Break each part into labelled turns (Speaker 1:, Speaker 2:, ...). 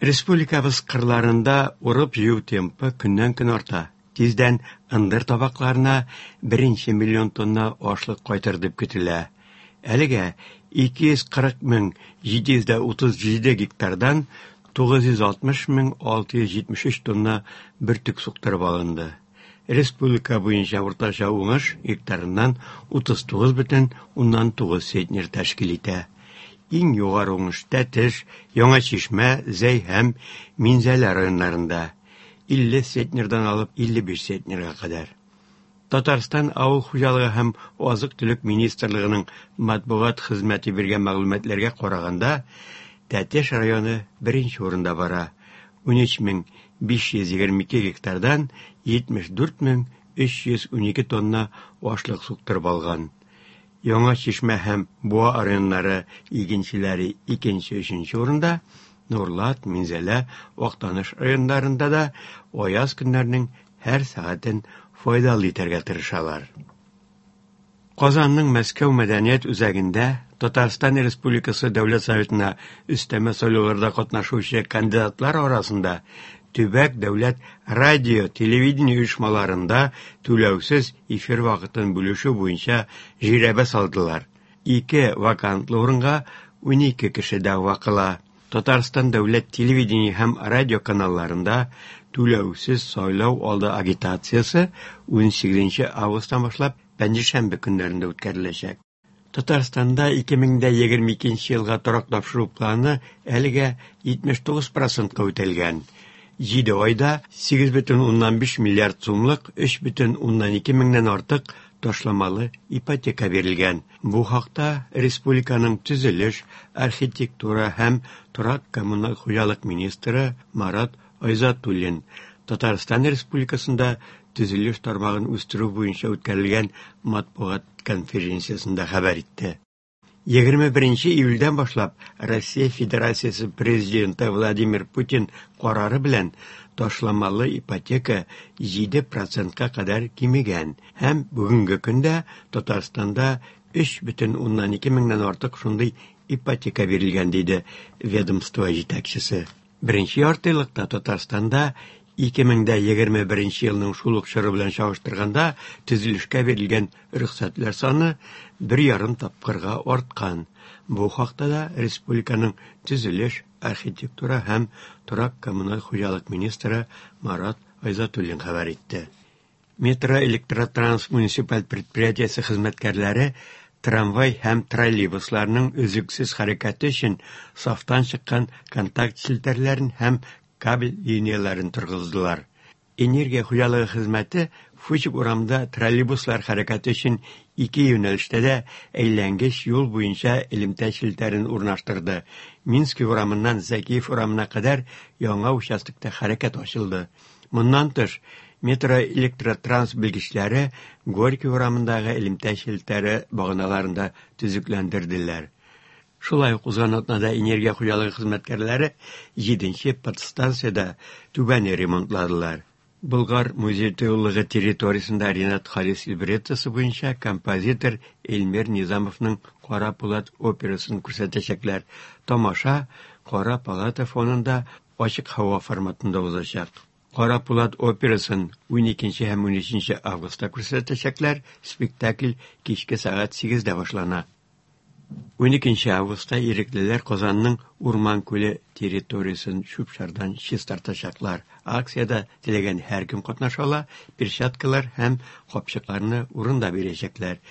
Speaker 1: Республикабыз кырларында урып-җыю темпы көннән-көн арта. Тиздән ындыр табакларына беренче миллион тонна ашлык кайтыр дип көтелә. Әлегә 240 мең 737 гектардан 960 мең 673 тонна бөртек суктырып алынды. Республика буенча уртача уңыш гектарыннан 39,9 центнер тәшкил итә. Иң югары уңыш Тәтеш, Яңа Чишмә, Зәй һәм Минзәлә районнарында 50 центнердан алып 55 центнерга кадәр. Татарстан Авыл хуҗалыгы һәм азык-төлек министрлыгының матбугат хезмәте биргән мәгълүматларга караганда, Тәтеш районы беренче урында бара. 13522 гектардан 74312 тонна ашлык суктырып алган. Яңа Чишмә һәм Буа районнары игенчеләре икенче-өченче урында, Нурлат, Минзәлә, Актаныш районнарында да аяз көннәрнең һәр сәгатен файдалы итәргә тырышалар. Казанның Мәскәү мәдәният үзәгендә Татарстан Республикасы Дәүләт Советына өстәмә сайлауларда катнашучы кандидатлар арасында төбәк дәүләт радио, телевидение оешмаларында түләүсез эфир вакытын бүлешү буенча жирәбә салдылар. Ике вакантлы урынга 12 кеше дәгъва кыла. Татарстан дәүләт телевидение һәм радио каналларында түләүсез сайлау алды агитациясе 18 августтан башлап пәнҗешәмбе көннәрендә үткәреләчәк. Татарстанда 2022 елга торак тапшыру планы әлегә 79 процентка үтәлгән. 7 айда 8,5 миллиард сумлык 3,2 меңнән артык ташламалы ипотека бирелгән. Бу хакта республиканың төзелеш, архитектура һәм торак-коммуналь хуҗалык министры Марат Айзатуллин Татарстан Республикасында төзелеш тармагын үстерү буенча үткәрелгән матбугат конференциясендә хәбәр итте. 21 июльдән башлап Россия Федерациясе Президенты Владимир Путин карары белән ташламалы ипотека 7 процентка кадәр кимегән һәм бүгенге көндә Татарстанда 3,2 меңнән артык шундый ипотека бирелгән, диде ведомство җитәкчесе. Беренче яртыеллыкта Татарстанда 2021 елның шул ук чоры белән чагыштырганда төзелешкә бирелгән рөхсәтләр саны 1,5 тапкырга арткан. Бу хакта да республиканың төзелеш, архитектура һәм торак-коммуналь хуҗалык министры Марат Айзатуллин хәбәр итте. Метроэлектротранс муниципаль предприятиесе хезмәткәрләре трамвай һәм троллейбусларның өзлексез хәрәкәте өчен сафтан чыккан контакт челтәрләрен һәм кабель линияләрен торгыздылар. Энергия хуҗалыгы хезмәте Фучик урамында троллейбуслар хәрәкәте өчен ике юнәлештә дә әйләнгеч юл буенча элемтә челтәрен урнаштырды. Минский урамыннан Зәкиев урамына кадәр яңа участокта хәрәкәт ачылды. Моннан тыш, метроэлектротранс белгечләре Горький урамындагы элемтә челтәре баганаларын да төзекләндерделәр. Шулай ук узган атнада энергия хуҗалыгы хезмәткәрләре 7 подстанциядә түбәне ремонтладылар. Болгар музей-тыюлыгы территориясендә Ренат Харис либреттосы буенча композитор Эльмир Низамовның Кара пулат операсын күрсәтәчәкләр. Тамаша Кара палата фонында ачык һава форматында узачак. Кара пулат операсын 12 һәм 13 августта күрсәтәчәкләр. Спектакль кичке сәгать 8дә башлана. 12 августта иреклеләр Казанның Урман күле территориясен чүп-чардан чистартачаклар. Акциядә теләгән һәркем катнаша ала, перчаткалар һәм капчыкларны урында бирәчәкләр.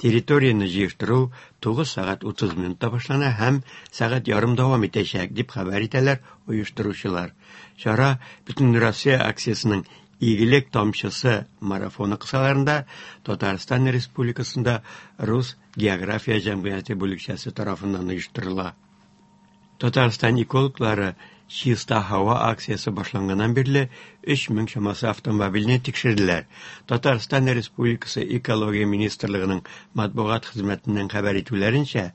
Speaker 1: Территорияне җыештыру 9 сәгать 30 минутта башлана һәм сәгать ярым дәвам итәчәк, дип хәбәр итәләр оештыручылар. Чара Бөтенроссия акциясенең Игелек тамчысы марафоны кысаларында Татарстан Республикасында Рус география җәмгыяте бүлекчәсе тарафыннан оештырыла. Татарстан экологлары Чиста һава акциясе башланганнан бирле 3000 чамасы автомобильне тикшерделәр. Татарстан Республикасы Экология министрлыгының матбугат хезмәтеннән хәбәр итүләренчә,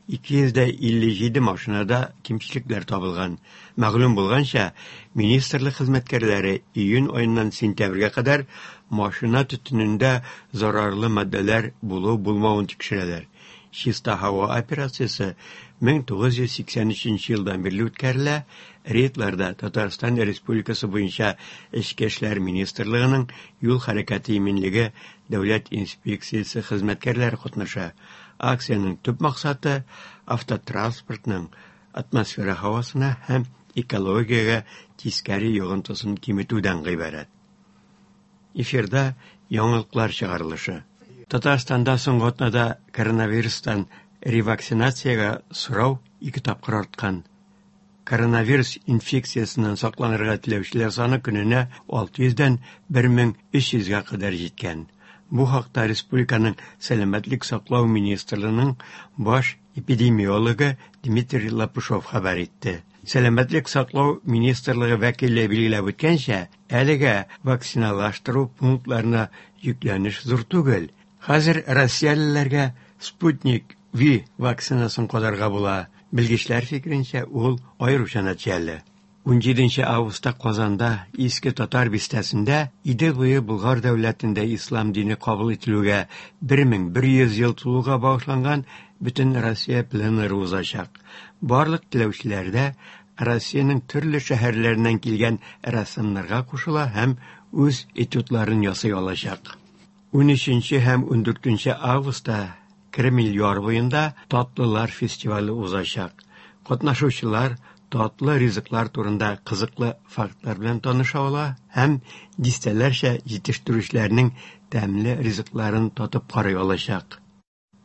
Speaker 1: 257 машинада кимчелекләр табылган. Мәгълүм булганча, министрлык хезмәткәрләре июнь аеннан сентябрьгә кадәр машина төтенендә зарарлы матдәләр булу-булмавын тикшерәләр. Чиста һава операциясе 1983 елдан бирле үткәрелә, Рейдларда Татарстан Республикасы буенча Эчке эшләр министрлыгының юл хәрәкәте иминлеге дәүләт инспекциясе хезмәткәрләре катнаша. Акциянең төп максаты автотранспортның атмосфера һавасына һәм экологиягә тискәре йогынтысын киметүдән гыйбарәт. Эфирда яңалыклар чыгарылышы. Татарстанда соңгы атнада коронавирустан ревакцинациягә сорау ике тапкыр арткан. Коронавирус инфекциясеннән сакланырга теләүчеләр саны көненә 600 дән 1300 гә кадәр җиткән. Бу хакта республиканың Сәламәтлек саклау министрлыгының баш эпидемиологы Дмитрий Лопушов хәбәр итте. Сәламәтлек саклау министрлыгы вәкиле билгеләп үткәнчә, әлегә вакциналаштыру пунктларына йөкләнеш зур түгел. Хәзер россиялеләргә Спутник V вакцинасын кадарга була. Белгечләр фикеренчә, ул аеруча нәтиҗәле. 17 августта Казанда Иске Татар бистәсендә Идел буе Болгар дәүләтендә ислам дине кабул ителүгә 1100 ел тулуга багышланган Бөтенроссия пленэры узачак. Барлык теләүчеләр дә Россиянең төрле шәһәрләреннән килгән рәссамнарга кушыла һәм үз этюдларын ясый алачак. 13 һәм 14 августта Кремль яр буенда Татлылар фестивале узачак. Катнашучылар татлы ризыклар турында кызыклы фактлар белән таныша ала һәм дистәләрчә җитештерүчеләрнең тәмле ризыкларын татып карый алачак.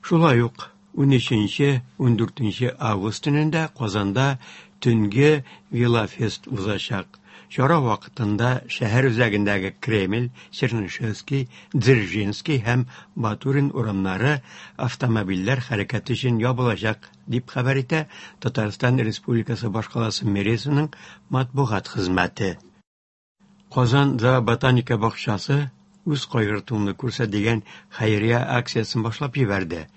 Speaker 1: Шулай ук 13-14 август төнендә Казанда төнге Велофест узачак. Чара вакытында шәһәр үзәгендәге Кремль, Чернышевский, Дзержинский һәм Батурин урамнары автомобильләр хәрәкәте өчен ябылачак, дип хәбәр итә Татарстан Республикасы башкаласы мэриясенең матбугат хезмәте. Казан зооботаника бакчасы Үз кайгыртуыңны күрсәт дигән хәйрия акциясен башлап җибәрде.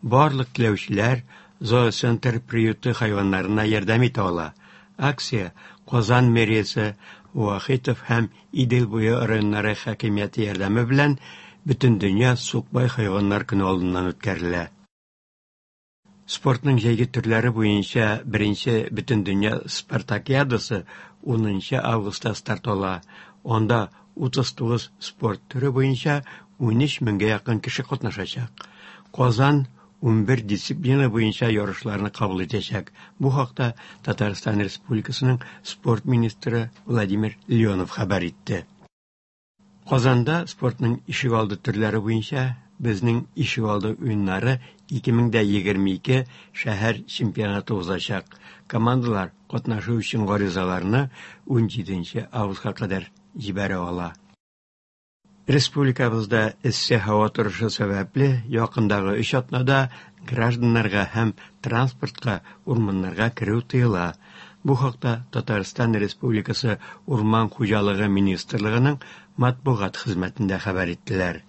Speaker 1: Барлык теләүчеләр Зооцентр приюты хайваннарына ярдәм итә ала. Акция Казан мэриясе, Вахитов һәм Идел буе районнары хакимияте ярдәме белән Бөтендөнья сукбай хайваннар көне алдыннан үткәрелә. Спортның җәйге төрләре буенча беренче Бөтендөнья спартакиадасы 10 нчы августта старт ала. Анда 39 спорт төре буенча 13 меңгә якын кеше катнашачак. Казан 11 дисциплина буенча ярышларны кабул итәчәк. Бу хакта Татарстан Республикасының спорт министры Владимир Леонов хәбәр итте. Казанда спортның ишегалды төрләре буенча Безнең ишегалды уеннары 2022 шәһәр чемпионаты узачак. Командалар катнашу өчен гаризаларны 17 августка кадәр җибәрә ала. Республикабызда эссе һава торышы сәбәпле, якындагы өч атнада гражданнарга һәм транспортка урманнарга керү тыела. Бу хакта Татарстан Республикасы Урман хуҗалыгы министрлыгының матбугат хезмәтендә хәбәр иттеләр.